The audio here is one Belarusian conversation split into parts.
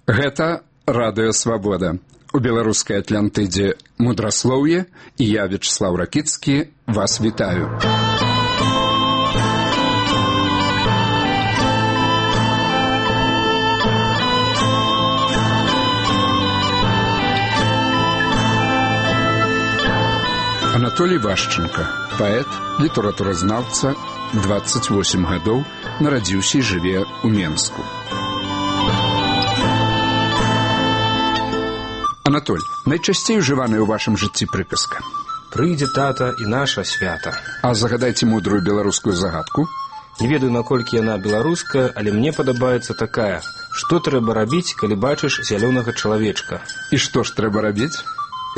Гэта радыё «Свабода». У беларускай Атлантыдзе мудраслоўе, і я, Вячеслав Ракіцкі, вас вітаю. Анатолій Вашченко, паэт, літаратуразнаўца, 28 гадоў, нарадзіўся і жыве ў Менску. Анатоль, найчасцей ужываная ў вашым жыцці прыказка? Прыйдзе тата і наша свята. А загадайце мудрую беларускую загадку. Не ведаю, наколькі яна беларуская, але мне падабаецца такая: што трэба рабіць, калі бачыш зялёнага чалавечка? І што ж трэба рабіць?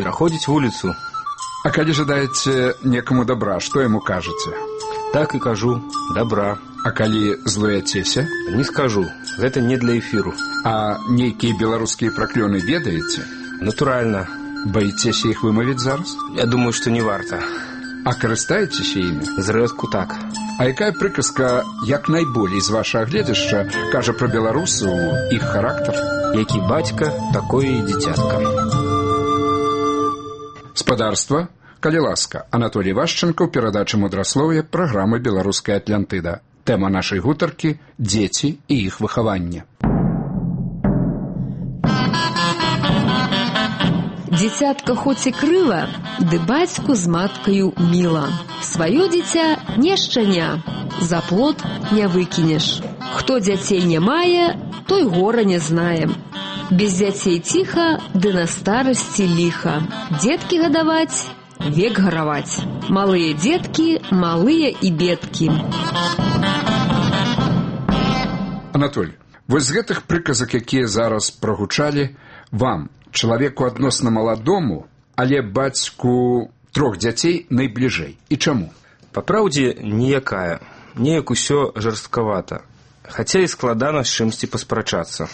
Пераходзіць вуліцу. А калі жадаеце некаму добра, што яму кажаце? Так і кажу, добра. А калі злуяцеся? Не скажу, гэта не для эфіру. А нейкія беларускія праклёны ведаеце? Натуральна. Баіцеся іх вымавіць зараз? Я думаю, што не варта. А карыстаецеся імі? Зрэдку так. А якая прыказка, як найболей з вашага гледзяшча, кажа пра беларусаў, іх характар? Які бацька, такое і дзіцятка. Спадарства, калі ласка, Анатолій Вашченко ў перадачы мудраслоўя праграмы «Беларуская Атлантыда». Тэма нашай гутаркі – дзеці і іх выхаванне. Дзіцятка хоць і крыла, ды бацьку з маткаю міла. Сваё дзіця не шчаня, за плот не выкінеш. Хто дзяцей не мае, той гора не знае. Без дзяцей ціха, ды на старасці ліха. Дзеткі гадаваць, век гараваць. Малыя дзеткі, малыя і бедкі. Анатоль, вось з гэтых прыказак, якія зараз прагучалі, вам, чалавеку адносна маладому, але бацьку 3 дзяцей найбліжэй. І чаму? Па праўдзе, ніякая. Неяк усё жорсткавата. Хаця і складана з чымсьці паспрачацца.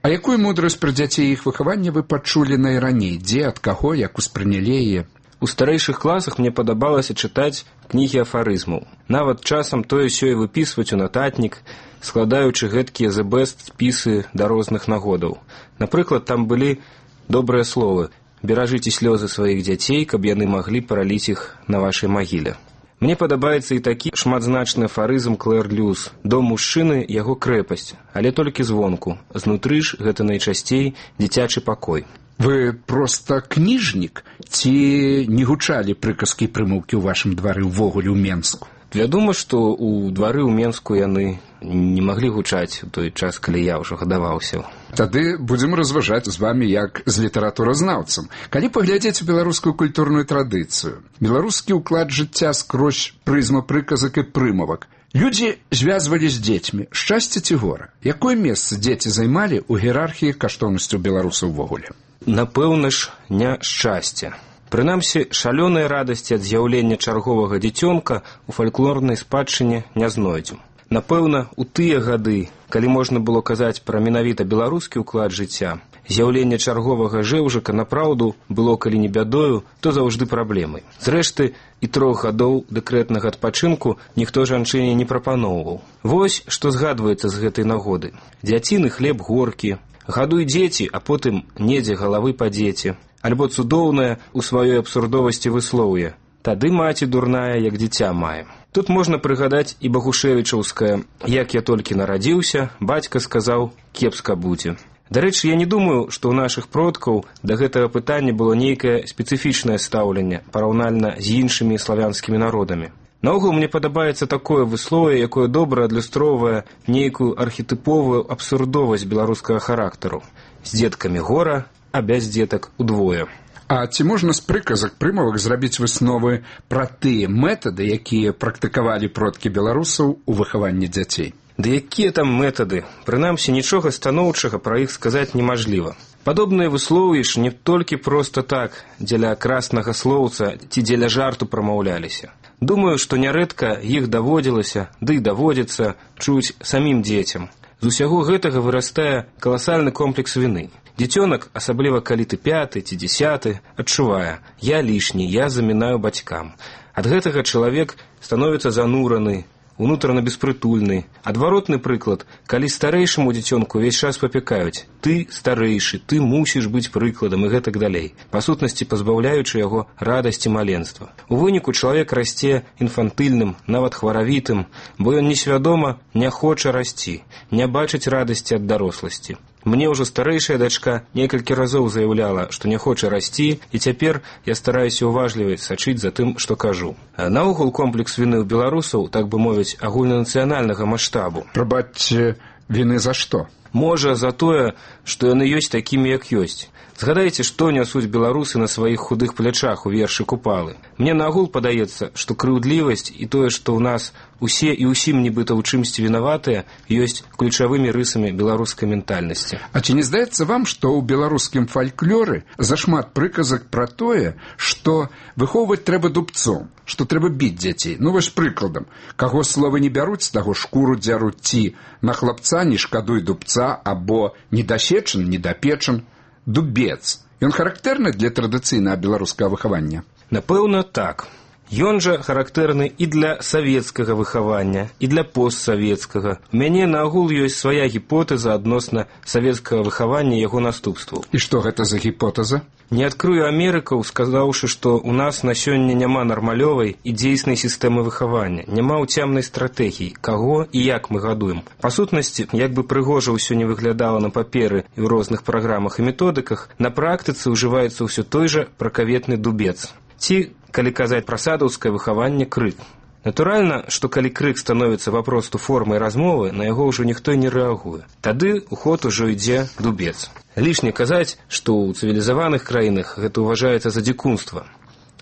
А якую мудрасць пра дзяцей і іх выхаванне вы пачулі найраней? Дзе, ад каго, як успрынялі яе? У старэйшых класах мне падабалася чытаць кнігі афарызмаў. Нават часам тое-сёе выпісваць у нататнік, складаючы гэткія the best спісы да розных нагодаў. Напрыклад, там былі добрыя словы: «Беражыце слёзы сваіх дзяцей, каб яны маглі параліць іх на вашай магіле». Мне падабаецца і такі шматзначны афарызм Клэр Люс: «Дом мужчыны – яго крэпасць, але толькі звонку. Знутры ж гэта найчасцей дзіцячы пакой». Вы проста кніжнік? Ці не гучалі прыказкі і прымаўкі ў вашым двары ўвогуле ў Менску? Вядома, што ў двары ў Менску яны не маглі гучаць у той час, калі я ўжо гадаваўся. Тады будзем разважаць з вамі як з літаратуразнаўцам. Калі паглядзець у беларускую культурную традыцыю, беларускі ўклад жыцця скрозь прызму прыказак і прымавак, людзі звязвалі з дзецьмі. Шчасце ці гора? Якое месца дзеці займалі ў іерархіі каштоўнасцяў беларусаў увогуле? Напэўна ж, не шчасце. Прынамсі, шалёнай радасці ад з'яўлення чарговага дзіцёнка у фальклорнай спадчыне не знойдзем. Напэўна, у тыя гады, калі можна было казаць пра менавіта беларускі ўклад жыцця, з'яўленне чарговага жэўжыка напраўду было, калі не бядою, то заўжды праблемай. Зрэшты, і 3 гадоў дэкрэтнага адпачынку ніхто жанчыне не прапаноўваў. Вось, што згадваецца з гэтай нагоды. Дзяціны хлеб горкі, гадуй дзеці, а потым недзе галавы па дзеці. Альбо цудоўнае у сваёй абсурдовасці выслоўе: «Тады маці дурная, як дзіця мае». Тут можна прыгадаць і багушевічаўскае: «Як я толькі нарадзіўся, бацька сказаў, кепска будзе». Дарэчы, я не думаю, што ў нашых продкаў да гэтага пытання было нейкае спецыфічнае стаўленне параўнальна з іншымі славянскімі народамі. Наогул мне падабаецца такое выслоўе, якое добра адлюстроўвае нейкую архетыповую абсурдовасць беларускага характару. З дзеткамі гора, а без дзетак удвое. А ці можна з прыказак прымавак зрабіць высновы пра тыя метады, якія практыкавалі продкі беларусаў у выхаванні дзяцей? Ды якія там метады? Прынамсі, нічога станоўчага пра іх сказаць немажліва. Падобныя выслоўі ж не толькі проста так, дзеля краснага слоўца ці дзеля жарту прамаўляліся. Думаю, што нярэдка іх даводзілася, ды і даводзіцца чуць самім дзецям. З усяго гэтага вырастае каласальны комплекс віны. Дзіцёнак, асабліва калі ты 5 ці 10, адчувае: «Я лішні, я замінаю бацькам». Ад гэтага чалавек становіцца занураны, унутрана беспрытульны. Адваротны прыклад, калі старэйшаму дзіцёнку ўвесь час папякаюць: ты старэйшы, ты мусіш быць прыкладам і гэтак далей, па сутнасці пазбаўляючы яго радасці маленства. У выніку чалавек расце інфантыльным, нават хваравітым, бо ён несвядома не хоча расці, не бачыць радасці ад даросласці. Мне ўжо старэйшая дачка некалькі разоў заяўляла, што не хоча расці, і цяпер я стараюся уважлівай сачыць за тым, што кажу. Наогул комплекс віны ў беларусаў, так бы мовіць, агульнанацыянальнага маштабу. Прабачце, віны за што? Можа, за тое, што яны ёсць такімі, як ёсць. Згадайце, што нясуць беларусы на сваіх худых плячах у вершы Купалы. Мне наагул падаецца, што крыўдлівасць і тое, што ў нас усе і ўсім нібыта ў чымсьці вінаватыя, ёсць ключавымі рысамі беларускай ментальнасці. А ці не здаецца вам, што ў беларускім фальклоры зашмат прыказак пра тое, што выхоўваць трэба дубцом, што трэба біць дзяцей? Ну вось прыкладам, каго словы не бяруць, таго шкуру дзяруць, ці на хлапца не шкадуй дубца, або недасечан, недапечан. Дубец. Ён характэрны для традыцыйнага беларускага выхавання? Напэўна, так. Ён жа характэрны і для савецкага выхавання, і для постсавецкага. У мяне наогул ёсць свая гіпотэза адносна савецкага выхавання і яго наступстваў. І што гэта за гіпотэза? Не адкрыю Амерыкаў, сказаўшы, што ў нас на сёння няма нармалёвай і дзейснай сістэмы выхавання, няма ўцямнай стратэгіі, каго і як мы гадуем. Па сутнасці, як бы прыгожа ўсё не выглядала на паперы і ў розных праграмах і методыках, на практыцы ўжываецца ўсё той жа пракаветны дубец. Ці, калі казаць пра садаўскае выхаванне, крык. Натуральна, што калі крык становіцца папросту формай размовы, на яго ўжо ніхто не рэагуе. Тады ў ход ужо ідзе дубец. Лішне казаць, што ў цывілізаваных краінах гэта ўважаецца за дзікунства.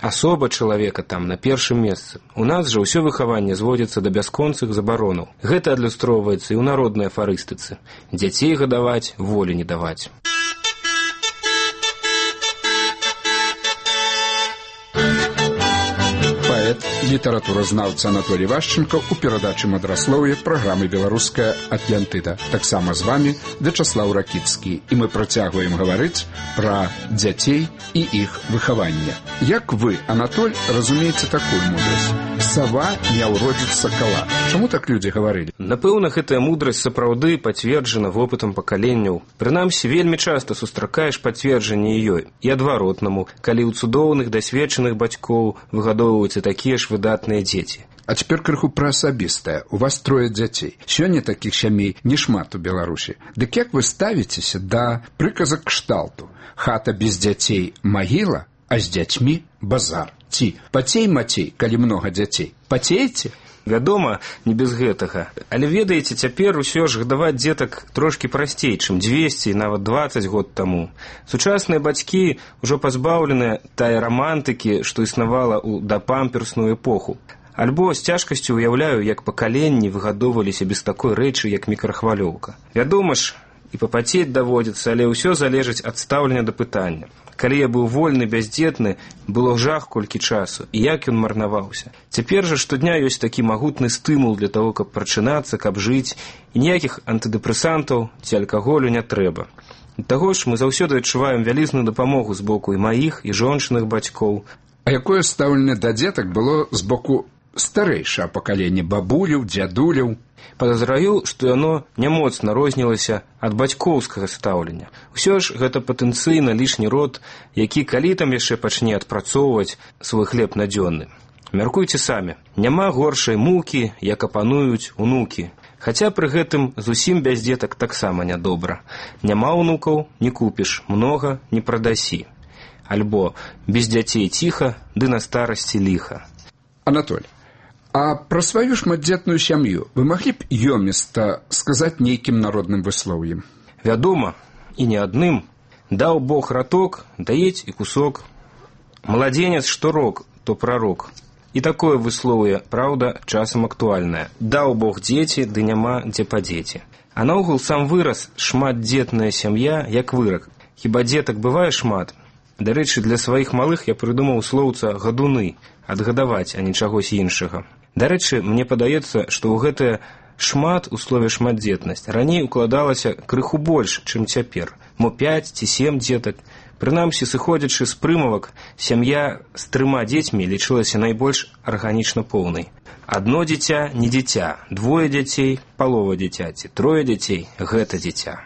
Асоба чалавека там на першым месцы. У нас жа ўсё выхаванне зводзіцца да бясконцых забаронаў. Гэта адлюстроўваецца і ў народнай афарыстыцы. Дзяцей гадаваць, волі не даваць. Літаратуразнаўца Анатолій Вашченко ў перадачы «Мадраслоўе» праграмы «Беларуская Атлантыда». Таксама з вамі Вячаслаў Ракіцкі. І мы працягваем гаварыць пра дзяцей і іх выхаванне. Як вы, Анатоль, разумееце такую мудрасць? Сава не ўродзіць сакала. Чаму так людзі гаварылі? Напэўна, гэтая мудрасць сапраўды пацверджана вопытам пакаленняў. Прынамсі, вельмі часта сустракаеш пацверджанне ёй. І адваротнаму, калі ў цудоўных, дасведчаных бацькоў выгадоўваюцца такія ж выдатныя дзеці. А цяпер крыху пра асабістае. У вас 3 дзяцей. Сёння такіх сямей нешмат у Беларусі. Дык як вы ставіцеся да прыказак кшталту: хата без дзяцей магіла, а з дзяцьмі базар? Ці пацей мацей, калі многа дзяцей? Пацееце? Вядома, не без гэтага. Але ведаеце, цяпер усё ж гадаваць дзетак трошкі прасцей, чым 200 і нават 20 год таму. Сучасныя бацькі ўжо пазбаўленыя тая рамантыкі, што існавала ў дапамперсную эпоху. Альбо з цяжкасцю уяўляю, як пакаленні выгадоўваліся без такой рэчы, як мікрахвалёўка. Вядома ж, і папацець даводзіцца, але ўсё залежыць ад стаўлення да пытання. Калі я быў вольны, бяздзетны, было жах колькі часу, і як ён марнаваўся. Цяпер жа штодня ёсць такі магутны стымул для таго, каб прачынацца, каб жыць, і ніякіх антыдэпрэсантаў ці алкаголю не трэба. І таго ж мы заўсёды адчуваем вялізную дапамогу з боку і маіх, і жончыных бацькоў. А якое стаўленне да дзетак было з боку старэйшае пакаленне бабуляў, дзядуляў? Падазраю, што яно нямоцна рознілася ад бацькоўскага стаўлення. Усё ж гэта патэнцыйна лішні род, які калі там яшчэ пачне адпрацоўваць свой хлеб надзённы. Мяркуйце самі, няма горшай мукі, як апануюць унукі. Хаця пры гэтым зусім без дзетак таксама нядобра. Няма унукаў, не купіш, многа не прадасі. Альбо без дзяцей ціха, ды на старасці ліха. Анатоль, а пра сваю шматдзетную сям'ю вы маглі б ёміста сказаць нейкім народным выслоўем? Вядома, і не адным. Даў Бог раток, даець і кусок. Младзенец што рок, то прарок. І такое выслоўе, праўда, часам актуальнае. Даў Бог дзеці, ды няма дзе падзеці. А наогул сам выраз «шматдзетная сям'я» як вырак. Хіба дзетак бывае шмат? Дарэчы, для сваіх малых я прыдумаў слоўца «гадуны», адгадаваць, а не чагось іншага. Дарэчы, мне падаецца, што ў гэтае шмат у слове «шматдзетнасць» раней укладалася крыху больш, чым цяпер. Мо 5 ці 7 дзетак. Прынамсі, сыходзячы з прымавак, сям'я з 3 дзецьмі лічылася найбольш арганічна поўнай. Адно дзіця не дзіця, 2 дзяцей палова дзіцяці, 3 дзяцей гэта дзіця.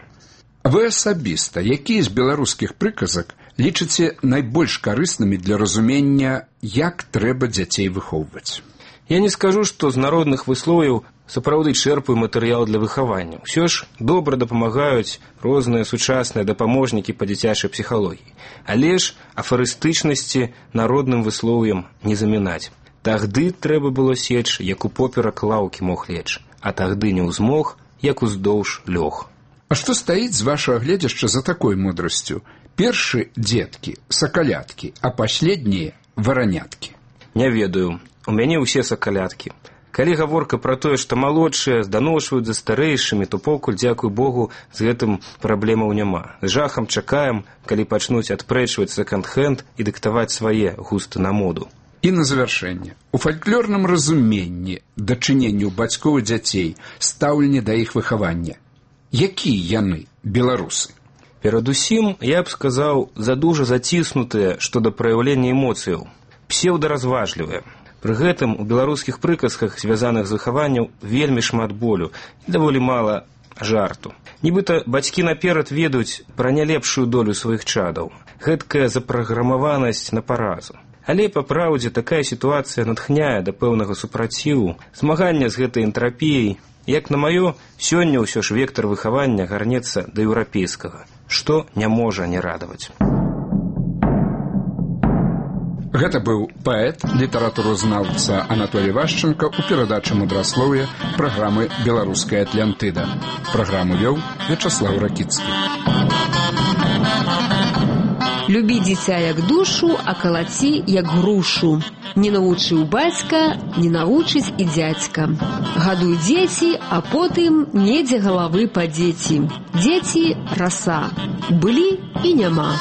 Вы асабіста, якія з беларускіх прыказак лічыце найбольш карыснымі для разумення, як трэба дзяцей выхоўваць? Я не скажу, што з народных выслоўяў сапраўды чэрпаю матэрыял для выхавання. Усё ж добра дапамагаюць розныя сучасныя дапаможнікі па дзіцячай псіхалогіі. Але ж афарыстычнасці народным выслоўям не замінаць. Тагды трэба было сечь, як у поперак лаўкі мог лечь, а тагды не ўзмог, як уздоўж лёг. А што стаіць з вашага гледзяшча за такой мудрасцю? Першы дзеткі, сакаляткі, а паследнія вараняткі. Не ведаю. У мяне ўсе сакаляткі. Калі гаворка пра тое, што малодшыя зданошваюць за старэйшымі, то покуль, дзякуй Богу, з гэтым праблемаў няма. З жахам чакаем, калі пачнуць адпрэчваць секонд-хенд і дыктаваць свае густы на моду. І на завяршэнне. У фальклорным разуменні дачыненню бацькоў і дзяцей, стаўленне да іх выхавання. Якія яны, беларусы? Перадусім, я б сказаў, задужа заціснутыя, што да праяўлення эмоцыяў. Псеўдаразважлівыя. Пры гэтым у беларускіх прыказках, звязаных з выхаваннем, вельмі шмат болю і даволі мала жарту. Нібыта бацькі наперад ведаюць пра нялепшую долю сваіх чадаў. Гэткая запраграмаванасць на паразу. Але, па праўдзе, такая сітуацыя натхняе да пэўнага супраціву, змагання з гэтай энтрапіяй. Як на маё, сёння ўсё ж вектар выхавання гарнецца да еўрапейскага, што не можа не радаваць. Гэта быў паэт, літаратуразнаўца Анатолій Вашченко ў перадачы «Мудраслоўе» праграмы «Беларуская Атлантыда». Праграму вёў Вячаслаў Ракіцкі. Любі дзіця як душу, а калаці як грушу. Не навучыў бацька, не навучыць і дзядзька. Гадуй дзеці, а потым недзе галавы падзеці. Дзеці – раса. Былі і няма.